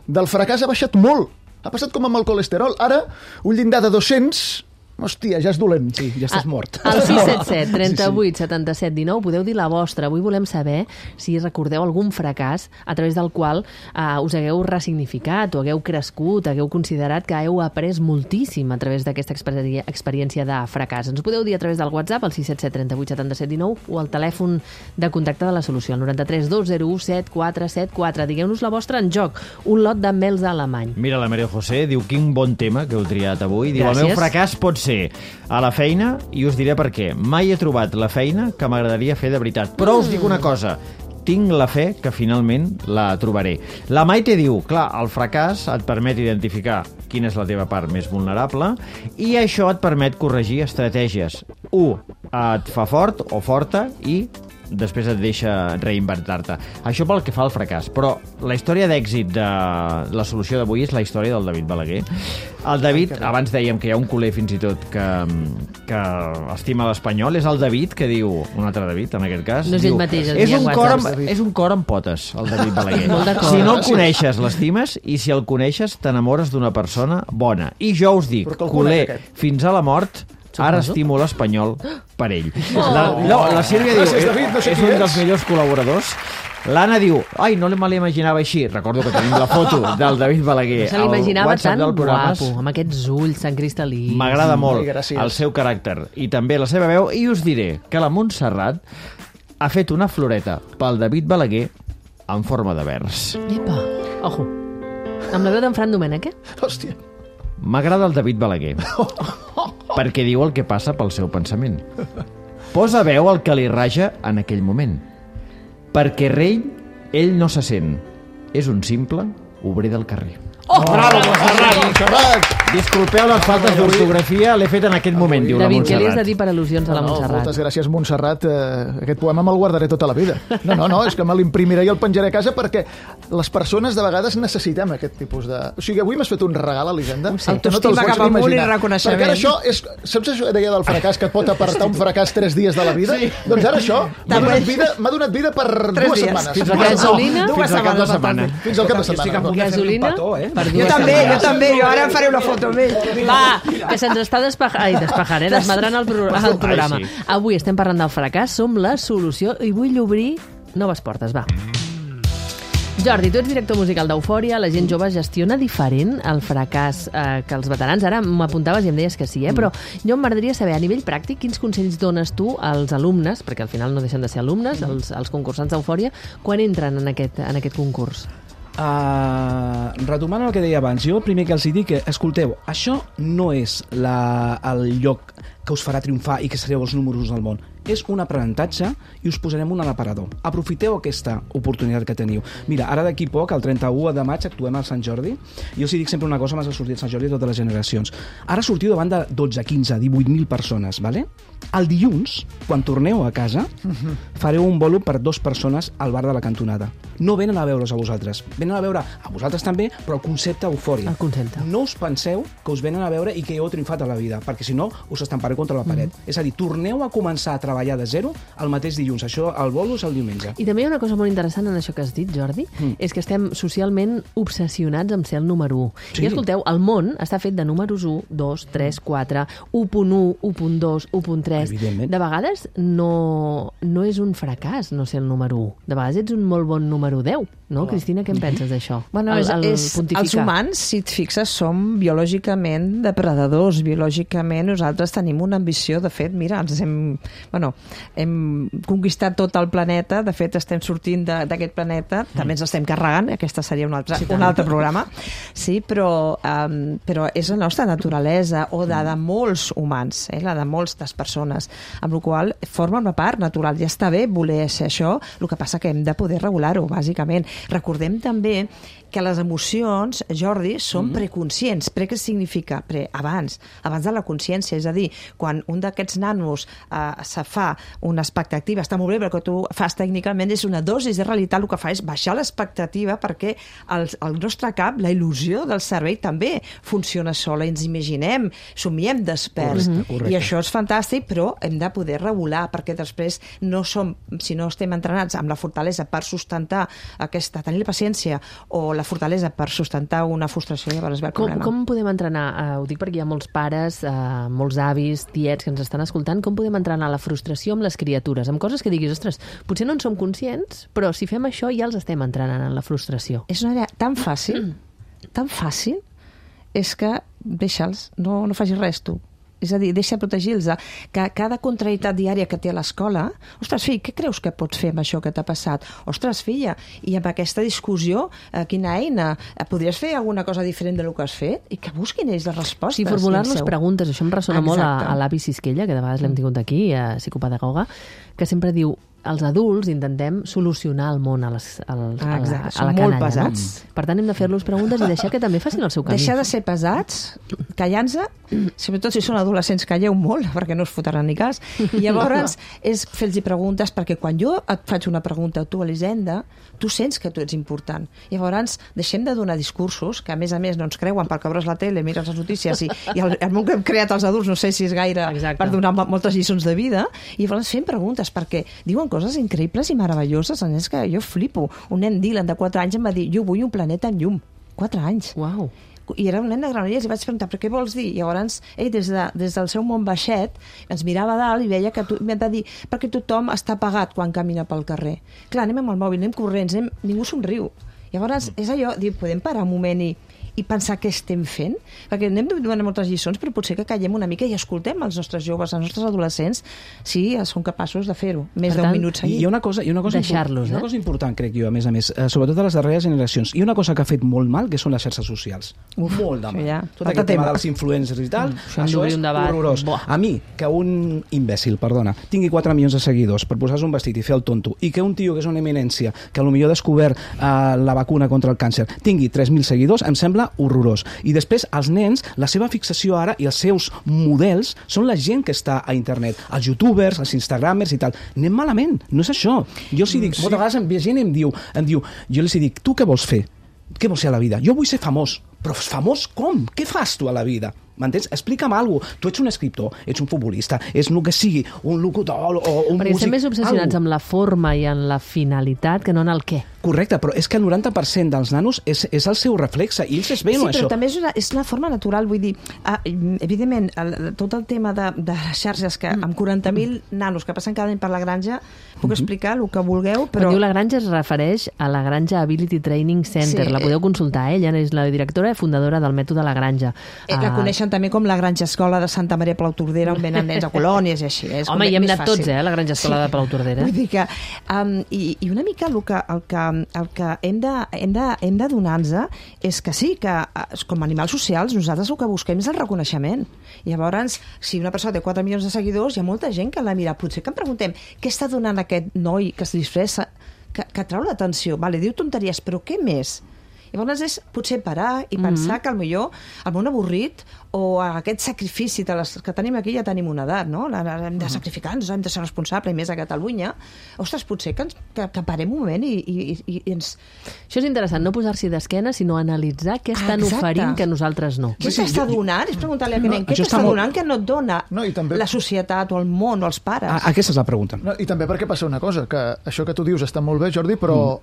del fracàs ha baixat molt, ha passat com amb el colesterol, ara un llindar de 200, hòstia, ja és dolent. Sí, ja estàs mort. Al 677 38 77 19 podeu dir la vostra. Avui volem saber si recordeu algun fracàs a través del qual us hagueu ressignificat o hagueu crescut, hagueu considerat que heu après moltíssim a través d'aquesta experiència de fracàs. Ens podeu dir a través del WhatsApp, al 677 38 77 19, o al telèfon de contacte de la solució, al 93 201 7474. Digueu-nos la vostra en joc. Un lot de mels alemany. Mira, la Maria José diu, quin bon tema que heu triat avui. Diu, el meu fracàs pot ser ser a la feina i us diré per què. Mai he trobat la feina que m'agradaria fer de veritat. Però us dic una cosa, tinc la fe que finalment la trobaré. La Maite diu, clar, el fracàs et permet identificar quina és la teva part més vulnerable i això et permet corregir estratègies. 1. Et fa fort o forta i després et deixa reinventar-te. Això pel que fa al fracàs. Però la història d'èxit de la solució d'avui és la història del David Balaguer. El David, abans dèiem que hi ha un culer fins i tot que estima l'Espanyol, és el David que diu, un altre David en aquest cas, no és diu, ell mateix, és un cor amb potes, el David Balaguer. Si no el coneixes, l'estimes, i si el coneixes, t'enamores d'una persona bona. I jo us dic, culer fins a la mort, ara estimo l'Espanyol per ell. La Sílvia diu, és un dels millors col·laboradors. L'Anna diu, ai, no me l'imaginava així. Recordo que tenim la foto del David Balaguer. Se l'imaginava tan guapo, amb aquests ulls tan cristal·lins. M'agrada molt el seu caràcter i també la seva veu. I us diré que la Montserrat ha fet una floreta pel David Balaguer en forma de vers. Epa, ojo. Amb la veu d'en Fran Domènech, Hòstia. M'agrada el David Balaguer perquè diu el que passa pel seu pensament. Posa veu al que li raja en aquell moment. Perquè rei, ell no se sent. És un simple obrer del carrer. Oh! Bravo, Montserrat! Disculpeu les faltes d'ortografia, l'he fet en aquest moment, diu la David, Montserrat. què li has de dir per al·lusions a la Montserrat? Moltes gràcies, Montserrat. Aquest poema me'l guardaré tota la vida. No, és que me l'imprimiré i el penjaré a casa perquè les persones de vegades necessitem aquest tipus de... O sigui, avui m'has fet un regal, Elisenda. Autoestima cap amunt i reconeixement. Perquè ara això és... Saps això que deia del fracàs, que et pot apartar un fracàs 3 dies de la vida? Sí. Doncs ara això m'ha donat vida per 2 setmanes. Fins al cap de setmana. Fins al cap de setmana. Gasolina? Jo també, jo ara faré una foto amb ell. Va, que se'ns està desmadrant el programa. Avui estem parlant del fracàs, som la solució i vull obrir noves portes, va. Jordi, tu ets director musical d'Eufòria, la gent jove gestiona diferent el fracàs que els veterans. Ara m'apuntaves i em deies que sí, però jo m'agradaria saber, a nivell pràctic, quins consells dones tu als alumnes, perquè al final no deixen de ser alumnes, els concursants d'Eufòria, quan entren en aquest concurs? Retomant el que deia abans, jo el primer que els dic és, escolteu, això no és el lloc que us farà triomfar i que sereu els números del món. És un aprenentatge i us posarem un a l'aparador. Aprofiteu aquesta oportunitat que teniu. Mira, ara d'aquí poc, el 31 de maig, actuem al Sant Jordi. Jo els dic sempre una cosa, m'has de sortir al Sant Jordi a totes les generacions. Ara sortiu davant de 12, 15, 18.000 persones, ¿vale? El dilluns, quan torneu a casa, fareu un bolo per 2 persones al bar de la cantonada. No venen a veure's a vosaltres. Venen a veure a vosaltres també, però el concepte Eufòria. El concepte. No us penseu que us venen a veure i que heu triomfat a la vida, perquè si no us estampareu contra la paret. És a dir, torneu a començar a treballar de zero el mateix dilluns. Això, el bolo és el diumenge. I també hi ha una cosa molt interessant en això que has dit, Jordi, és que estem socialment obsessionats amb ser el número 1. Sí. I escolteu, el món està fet de números 1, 2, 3, 4, 1.1, 1.2, 1.3. De vegades no és un fracàs no ser el número 1. De vegades ets un molt bon número 10. No, Cristina, què en penses d'això? Bueno, els humans, si et fixes, som biològicament depredadors. Biològicament nosaltres tenim una ambició. De fet, mira, hem conquistat tot el planeta. De fet, estem sortint d'aquest planeta. També ens estem carregant. Aquesta seria un altre programa. Sí, però és la nostra naturalesa, o de molts humans, la de moltes persones, amb la qual forma una part natural. Ja està bé voler ser això, el que passa que hem de poder regular-ho, bàsicament. Recordem també que les emocions, Jordi, són preconscients. Què significa? Abans de la consciència. És a dir, quan un d'aquests nanos se fa una expectativa, està molt bé, però que tu fas tècnicament és una dosi de realitat, el que fa és baixar l'expectativa perquè el nostre cap, la il·lusió del cervell també funciona sola, ens imaginem, somiem desperts. Correcte. I això és fantàstic, però hem de poder regular, perquè després si no estem entrenats amb la fortalesa per sustentar tenir la paciència o la fortalesa per sustentar una frustració, llavors ve el problema. Com podem entrenar? Ho dic perquè hi ha molts pares, molts avis, tiets que ens estan escoltant. Com podem entrenar la frustració amb les criatures? Amb coses que diguis, ostres, potser no en som conscients, però si fem això ja els estem entrenant en la frustració. És una idea tan fàcil, és que deixa'ls, no facis res tu. És a dir, deixa protegir-los. Que cada contrarietat diària que té a l'escola, ostres, fill, què creus que pots fer amb això que t'ha passat? Ostres, filla, i amb aquesta discussió, quina eina? Podries fer alguna cosa diferent del que has fet? I que busquin ells les respostes. Sí, formular-nos preguntes. Això em ressona molt a l'avi Sisquella, que de vegades l'hem tingut aquí, psicopedagoga, que sempre diu els adults intentem solucionar el món a la canalla. Molt pesats. No? Per tant, hem de fer-los preguntes i deixar que també facin el seu camí. Deixar de ser pesats, callant-se, sobretot si són adolescents, calleu molt, perquè no us fotran ni cas. I llavors és fer-los preguntes, perquè quan jo et faig una pregunta a tu, Elisenda, tu sents que tu ets important. Llavors, deixem de donar discursos, que a més no ens creuen perquè obres la tele, mires les notícies, i el món que hem creat els adults no sé si és gaire per donar moltes lliçons de vida, i llavors fem preguntes, perquè diuen coses increïbles i meravelloses, és que jo flipo. Un nen Dylan de 4 anys em va dir, jo vull un planeta amb llum. 4 anys. Uau. I era un nen de Granollers i vaig preguntar, però què vols dir? I llavors, ell, des del seu món baixet, ens mirava a dalt i veia que m'ha de dir, perquè tothom està apagat quan camina pel carrer. Clar, anem amb el mòbil, anem corrents, ningú somriu. Llavors, és allò, podem parar un moment i pensar què estem fent? Perquè anem donant moltes lliçons, però potser que callem una mica i escoltem els nostres joves, els nostres adolescents, si són capaços de fer-ho. Més d'un minut seguit. Hi ha una cosa important, crec jo, a més, sobretot a les darreres generacions. Hi ha una cosa que ha fet molt mal, que són les xarxes socials. Molt de mal. Tot aquest tema dels influencers i tal, això és horrorós. A mi, que un imbècil, perdona, tingui 4 milions de seguidors per posar-se un vestit i fer el tonto, i que un tio que és una eminència, que potser ha descobert la vacuna contra el càncer, tingui 3.000 seguidors, em sembla horrorós. I després, els nens, la seva fixació ara i els seus models són la gent que està a internet, els youtubers, els instagramers i tal. Anem malament, no és això. Jo els dic, moltes vegades em ve gent i em diu, jo els dic, tu què vols fer? Què vols ser a la vida? Jo vull ser famós. Però famós com? Què fas tu a la vida? M'entens? Explica'm alguna cosa. Tu ets un escriptor, ets un futbolista, ets el que sigui, un locutor o un músic. Perquè estem més obsessionats amb la forma i en la finalitat que no en el què. Correcte, però és que el 90% dels nanos és el seu reflexe, i ells es veien això. Sí, però també és una forma natural, vull dir, evidentment, tot el tema de xarxes, que amb 40.000 nanos que passen cada any per la granja, puc explicar el que vulgueu, però... Quan diu la granja es refereix a la Granja Ability Training Center, la podeu consultar, ella és la directora i fundadora del mètode La Granja. La coneixen també com la Granja Escola de Santa Maria Palautordera, on venen nens a colònies i així. Home, hi hem anat tots, a la Granja Escola de Palautordera. Vull dir que... I una mica el que hem de donar-nos és que sí, que com a animals socials nosaltres el que busquem és el reconeixement. Llavors, si una persona té 4 milions de seguidors, hi ha molta gent que la mira. Potser que em preguntem què està donant aquest noi que es disfressa, que trau l'atenció. Vale, diu tonteries, però què més? Llavors és potser parar i pensar que potser el món avorrit o aquest sacrifici que tenim aquí, ja tenim una edat, no? Hem de sacrificar-nos, hem de ser responsables, i més a Catalunya. Ostres, potser que parem un moment i ens... Això és interessant, no posar-s'hi d'esquena, sinó analitzar què estan oferint que nosaltres no. Què t'està donant? És preguntar-li a aquest nen, què t'està donant que no et dona la societat o el món o els pares? Aquesta és la pregunta. I també perquè passa una cosa, que això que tu dius està molt bé, Jordi, però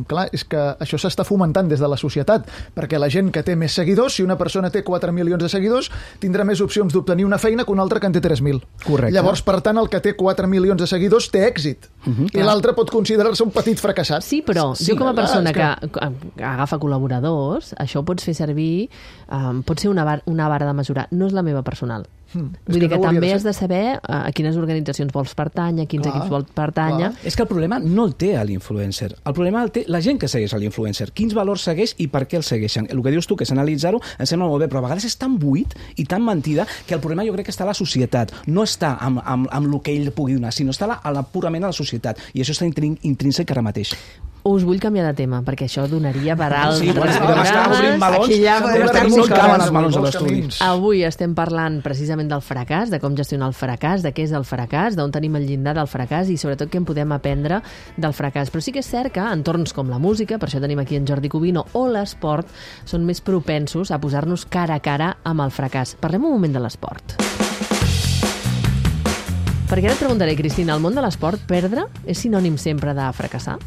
clar, és que això s'està fomentant des de la societat, perquè la gent que té més seguidors, si una persona té 4 milions de seguidors, tindrà més opcions d'obtenir una feina que un altre que en té 3.000. Correcte. Llavors, per tant, el que té 4 milions de seguidors té èxit. I l'altre pot considerar-se un petit fracassat. Sí, però jo com a persona que agafa col·laboradors, això ho pots fer servir, pot ser una vara de mesurar. No és la meva personal. Vull dir que també has de saber a quines organitzacions vols pertànyer, a quins equips vols pertànyer. És que el problema no el té l'influencer. El problema el té la gent que segueix l'influencer. Quins valors segueix i per què el segueixen. El que dius tu, que és analitzar-ho, em sembla molt bé, però a vegades és tan buit i tan mentida que el problema jo crec que està a la societat. No està amb el que ell pugui donar, sinó està purament a la societat. I això està intrínsec ara mateix. Us vull canviar de tema, perquè això donaria per altres programes. Avui estem parlant precisament del fracàs, de com gestionar el fracàs, de què és el fracàs, d'on tenim el llindar del fracàs i sobretot què en podem aprendre del fracàs. Però sí que és cert que entorns com la música, per això tenim aquí en Jordi Cubino, o l'esport, són més propensos a posar-nos cara a cara amb el fracàs. Parlem un moment de l'esport. Perquè ara et preguntaré, Cristina, al món de l'esport, perdre és sinònim sempre de fracassar?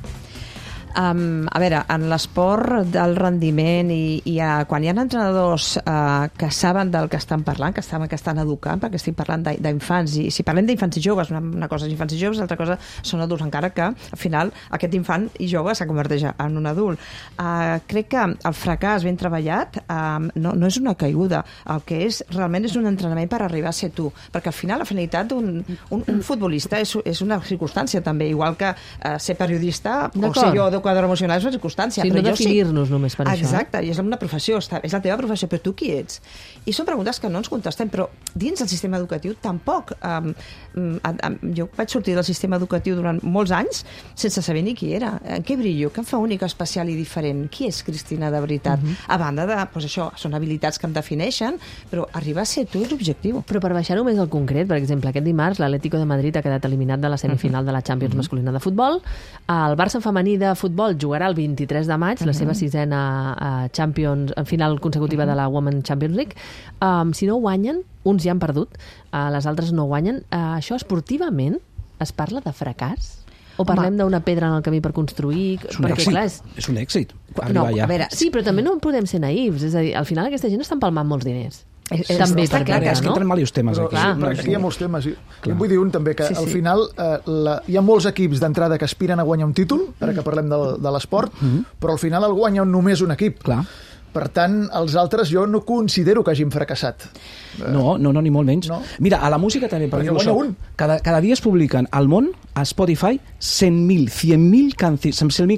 A veure, en l'esport del rendiment i quan hi ha entrenadors que saben del que estan parlant, que estan educant, perquè estic parlant d'infants, i si parlem d'infants i joves, una cosa és infants i joves, l'altra cosa són adults, encara que al final aquest infant i jove se converteix en un adult. Crec que el fracàs ben treballat no és una caiguda, el que és realment és un entrenament per arribar a ser tu, perquè al final la finalitat d'un futbolista és una circumstància també, igual que ser periodista o ser jo educador emocional és una circumstància. Sí, no definir-nos només per això. Exacte, i és una professió, és la teva professió, però tu qui ets? I són preguntes que no ens contestem, però dins del sistema educatiu tampoc. Jo vaig sortir del sistema educatiu durant molts anys sense saber ni qui era, en què brillo, què em fa única, especial i diferent, qui és Cristina de veritat? A banda de, doncs això, són habilitats que em defineixen, però arribar a ser tu és l'objectiu. Però per baixar-ho més al concret, per exemple, aquest dimarts l'Atlético de Madrid ha quedat eliminat de la semifinal de la Champions masculina de futbol, el Barça femení de futbol jugarà el 23 de maig, la seva sisena Champions, final consecutiva de la Women's Champions League. Si no guanyen, uns ja han perdut, les altres no guanyen. Això esportivament es parla de fracàs? O parlem d'una pedra en el camí per construir? És un èxit. No, a veure, sí, però també no podem ser naïfs. És a dir, al final aquesta gent està empalmant molts diners. També està clar, és que entren diversos temes aquí. Aquí hi ha molts temes. Vull dir un també, que al final hi ha molts equips d'entrada que aspiren a guanyar un títol, ara que parlem de l'esport, però al final el guanya només un equip. Clar. Per tant, els altres jo no considero que hagin fracassat. No, ni molt menys. No. Mira, a la música també, perquè guanya un. Cada dia es publiquen al món, a Spotify, 100.000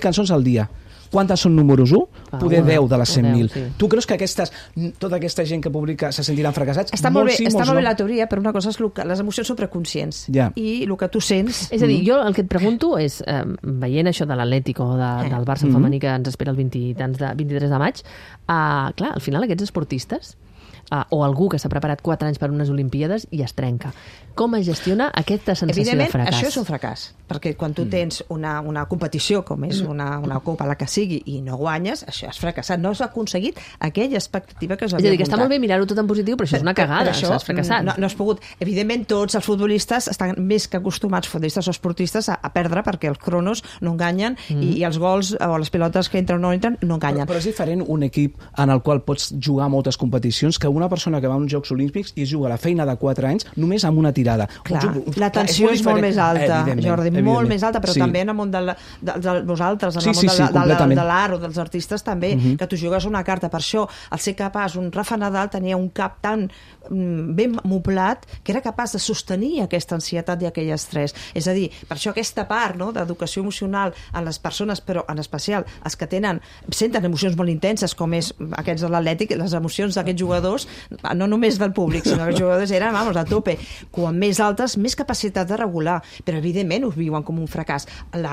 cançons al dia. Quantes són números 1? Poder 10 de les 100.000. Sí. Tu creus que tota aquesta gent que publica se sentiran fracassats? Està molt bé la teoria, però una cosa és que les emocions són preconscients. I el que tu sents... És a dir, jo el que et pregunto és, veient això de l'Atlético o del Barça femení que ens espera el 23 de maig, clar, al final aquests esportistes o algú que s'ha preparat 4 anys per unes Olimpíades i es trenca. Com es gestiona aquesta sensació de fracàs? Evidentment, això és un fracàs, perquè quan tu tens una competició, com és una copa, la que sigui, i no guanyes, això has fracassat. No has aconseguit aquella expectativa que us havia muntat. És a dir, que està molt bé mirar-ho tot en positiu, però això és una cagada, has fracassat. No has pogut. Evidentment, tots els futbolistes estan més que acostumats, futbolistes o esportistes, a perdre, perquè els cronos no enganyen i els gols o les pilotes que entren o no entren no enganyen. Però és diferent un equip en el qual pots jugar moltes competicions que una persona que va a uns Jocs Olímpics i juga la feina de 4 anys només amb una tirada. Clar, la tensió és molt més alta, Jordi, molt més alta, però també en el món de vosaltres, en el món de l'art o dels artistes també, que tu jugues una carta. Per això, al ser capaç, un Rafa Nadal tenia un cap tan ben moblat que era capaç de sostenir aquesta ansietat i aquell estrès. És a dir, per això aquesta part d'educació emocional en les persones, però en especial els que senten emocions molt intenses, com és aquests de l'Atlètic, les emocions d'aquests jugadors, no només del públic, sinó que els jugadors eren, a tope. Quan més altes, més capacitat de regular, però evidentment ho viuen com un fracàs.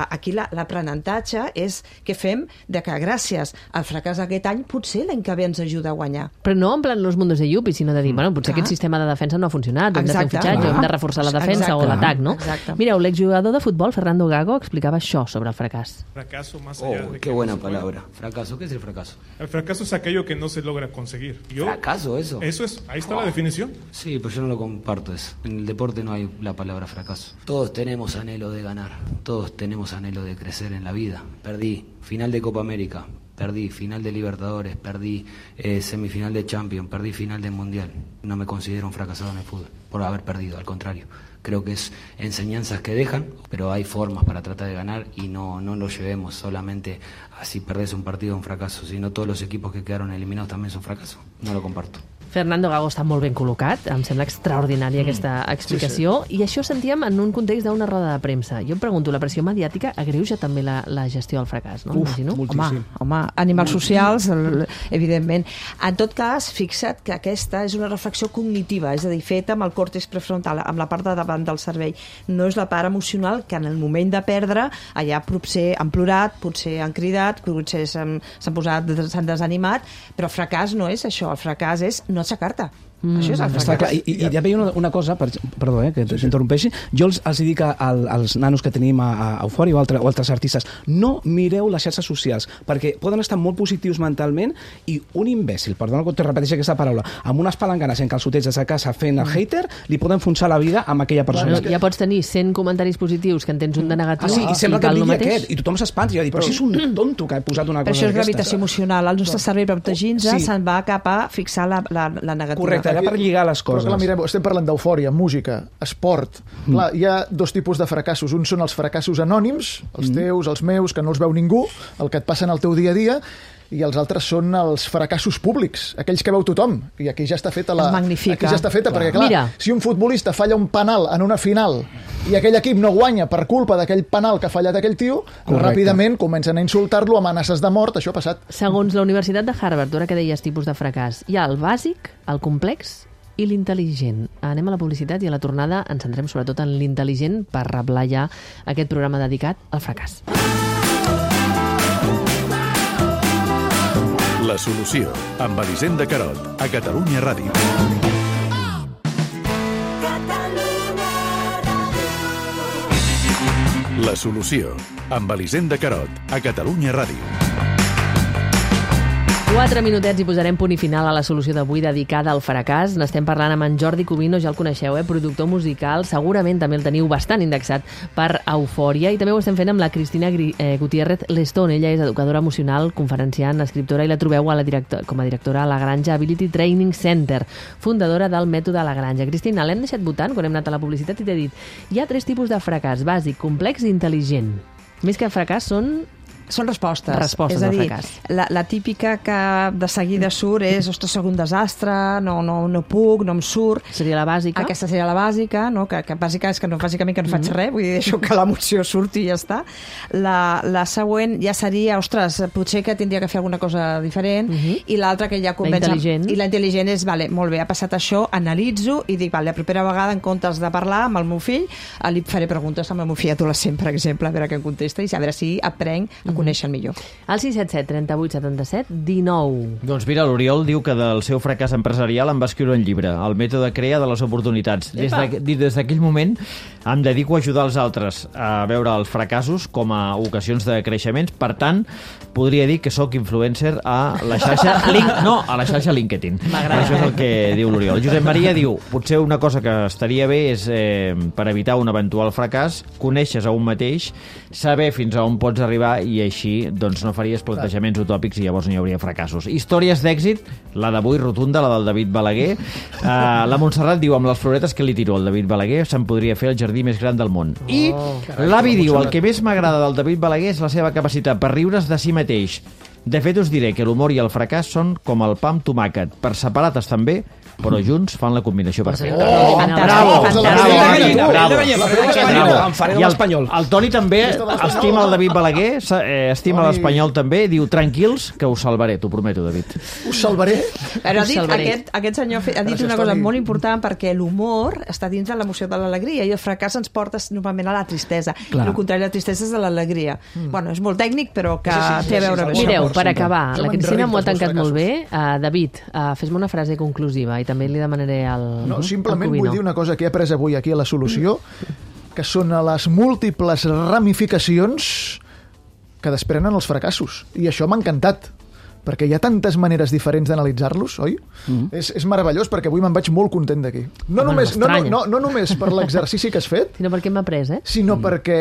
Aquí l'aprenentatge és què fem de que gràcies al fracàs d'aquest any potser l'any que ve ens ajuda a guanyar. Però no en plan los mundos de Yuppie, sinó de dir, bueno, potser aquest sistema de defensa no ha funcionat, hem de fer un fitxatge, hem de reforçar la defensa o l'atac, no? Mireu, l'exjugador de futbol, Fernando Gago, explicava això sobre el fracàs. Fracaso más allá de qué buena palabra. Fracaso, ¿qué es el fracaso? El fracaso es aquello que no se logra conseguir. ¿Fracaso eso? Eso es, ahí está la definición. Sí, pero yo no lo comparto eso. En el deporte no hay la palabra fracaso. Todos tenemos anhelo de ganar, todos tenemos anhelo de crecer en la vida. Perdí final de Copa América, perdí final de Libertadores, perdí semifinal de Champions, perdí final de Mundial. No me considero un fracasado en el fútbol por haber perdido, al contrario. Creo que es enseñanzas que dejan, pero hay formas para tratar de ganar y no lo llevemos solamente a si perdés un partido un fracaso, sino todos los equipos que quedaron eliminados también son fracasos. No lo comparto. Fernando Gago està molt ben col·locat, em sembla extraordinària aquesta explicació, i això sentíem en un context d'una roda de premsa. Jo em pregunto, la pressió mediàtica agreuja també la gestió del fracàs, no? Moltíssim. Home, animals socials, evidentment. En tot cas, fixa't que aquesta és una reflexió cognitiva, és a dir, feta amb el còrtex prefrontal, amb la part de davant del cervell. No és la part emocional que en el moment de perdre, allà potser han plorat, potser han cridat, potser s'han desanimat, però el fracàs no és això, el fracàs és no aixecar-te. Això és el Està clar. fracàs. I també hi ha una cosa, perdó, que t'interrompeixi, jo els dic als nanos que tenim a Eufòria o altres artistes, no mireu les xarxes socials, perquè poden estar molt positius mentalment i un imbècil, perdona que te repeteixi aquesta paraula, amb unes palanganes en calçotets a casa fent el hater, li poden enfonsar la vida amb aquella persona. Ja pots tenir 100 comentaris positius que en tens un de negatiu i sembla que cal el el digui mateix. aquest, i tothom s'espanta, i jo dic, però si és un tonto que ha posat una Però cosa això és d'aquestes. gravitació emocional. El nostre cervell, per protegir-nos, Sí. se'n va cap a fixar la negativa. Correcte, allà per lligar les Però coses. clar, mireu, estem parlant d'eufòria, música, esport. Clar, hi ha dos tipus de fracassos. Uns són els fracassos anònims, els teus, els meus, que no els veu ningú, el que et passa en el teu dia a dia, i els altres són els fracassos públics, aquells que veu tothom. I aquí ja està feta Es magnifica. Aquí ja està feta, perquè clar, Mira. si un futbolista falla un penal en una final i aquell equip no guanya per culpa d'aquell penal que ha fallat aquell tio, ràpidament comencen a insultar-lo, amenaces de mort, això ha passat. Segons la Universitat de Harvard, ara que deies tipus de fracàs, hi ha el bàsic, el complex i l'intel·ligent. Anem a la publicitat i a la tornada ens centrem sobretot en l'intel·ligent per reblar ja aquest programa dedicat al fracàs. La solució, amb Elisenda Carot, a Catalunya Ràdio. La solució, amb Elisenda Carot, a Catalunya Ràdio. 4 minutets i posarem punt i final a la solució d'avui dedicada al fracàs. N'estem parlant amb en Jordi Cubino, ja el coneixeu, productor musical. Segurament també el teniu bastant indexat per Eufòria. I també ho estem fent amb la Cristina Gutiérrez Lestón. Ella és educadora emocional, conferenciant, escriptora, i la trobeu com a directora a la Granja Ability Training Center, fundadora del mètode La Granja. Cristina, l'hem deixat votant quan hem anat a la publicitat i t'he dit hi ha 3 tipus de fracàs, bàsic, complex i intel·ligent. Més que fracàs són respostes. Respostes és a al dir, fracàs. la típica que de seguida surt és, ostres, soc un desastre, no puc, no em surt. Seria la bàsica. Aquesta seria la bàsica, no? que bàsica és que bàsicament que no faig res, vull dir, deixo que l'emoció surti i ja està. La següent ja seria, ostres, potser que tindria que fer alguna cosa diferent, i l'altra que ja convenç... La intel·ligent. I la intel·ligent és, vale, molt bé, ha passat això, analitzo i dic, vale, la propera vegada, en comptes de parlar amb el meu fill, li faré preguntes amb el meu fill adolescent, per exemple, a veure què em contesta i a veure si aprenc a conèixer el millor. El 677 38 77 19. Doncs mira, l'Oriol diu que del seu fracàs empresarial en va escriure un llibre, El mètode CREA de les oportunitats. Des d'aquell moment em dedico a ajudar els altres a veure els fracassos com a ocasions de creixements. Per tant, podria dir que sóc influencer a la xarxa LinkedIn. Això és el que diu l'Oriol. Josep Maria diu, potser una cosa que estaria bé és, per evitar un eventual fracàs, coneixes a un mateix, saber fins a on pots arribar i així doncs no faries plantejaments utòpics i llavors no hi hauria fracassos. Històries d'èxit, la d'avui rotunda, la del David Balaguer. La Montserrat diu, amb les floretes que li tiro al David Balaguer se'n podria fer el jardí més gran del món. I l'avi diu, el que més m'agrada del David Balaguer és la seva capacitat per riure's de si mateix. De fet, us diré que l'humor i el fracàs són com el pa amb tomàquet. Per separat estan bé, però junts fan la combinació perfecta. Bravo! Em faré l'espanyol. El Toni també estima el David Balaguer, estima l'espanyol també, diu, tranquils, que us salvaré, t'ho prometo, David. Us salvaré? Però aquest senyor ha dit una cosa molt important, perquè l'humor està dins de l'emoció de l'alegria i el fracàs ens porta normalment a la tristesa. I el contrari, la tristesa és de l'alegria. Bueno, és molt tècnic, però que té a veure amb això. Mireu, per acabar, la Cristina m'ho ha tancat molt bé. David, fes-me una frase conclusiva i també li demanaré al No, simplement vull dir una cosa que he après avui aquí a la solució, que són les múltiples ramificacions que desprenen els fracassos. I això m'ha encantat, perquè hi ha tantes maneres diferents d'analitzar-los, oi? És meravellós, perquè avui me'n vaig molt content d'aquí. No només per l'exercici que has fet, sinó perquè hem après, sinó perquè...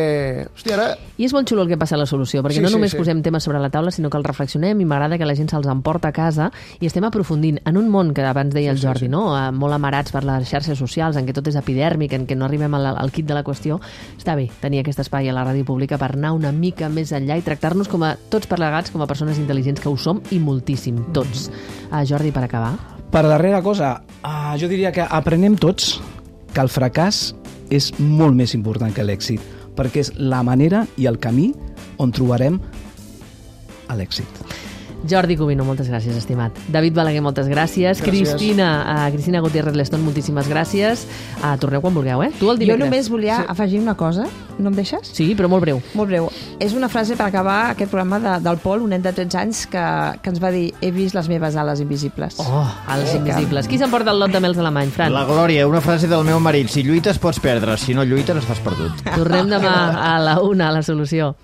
Hòstia, ara... I és molt xulo el que passa a la solució, perquè no només posem temes sobre la taula, sinó que els reflexionem i m'agrada que la gent se'ls emporta a casa i estem aprofundint en un món que abans deia el Jordi, no? Molt amarats per les xarxes socials, en què tot és epidèrmic, en què no arribem al quid de la qüestió. Està bé tenir aquest espai a la ràdio pública per anar una mica més enllà i tractar-nos com a tots plegats com a persones intel·ligents que ho som i moltíssim, tots. Jordi, per acabar. Per darrera cosa, jo diria que aprenem tots que el fracàs és molt més important que l'èxit, perquè és la manera i el camí on trobarem l'èxit. Jordi Cubino, moltes gràcies, estimat. David Balaguer, moltes gràcies. Cristina Gutiérrez Lestón, moltíssimes gràcies. Torneu quan vulgueu, Tu el dimecres. Jo només volia afegir una cosa, no em deixes? Sí, però molt breu. Molt breu. És una frase per acabar aquest programa del Pol, un nen de 13 anys, que ens va dir: he vist les meves ales invisibles. Ales invisibles. Qui s'emporta el lot de mels alemany, Fran? La Glòria, una frase del meu marit: si lluites pots perdre, si no lluites estàs perdut. Tornem demà a la 1 a La Solució.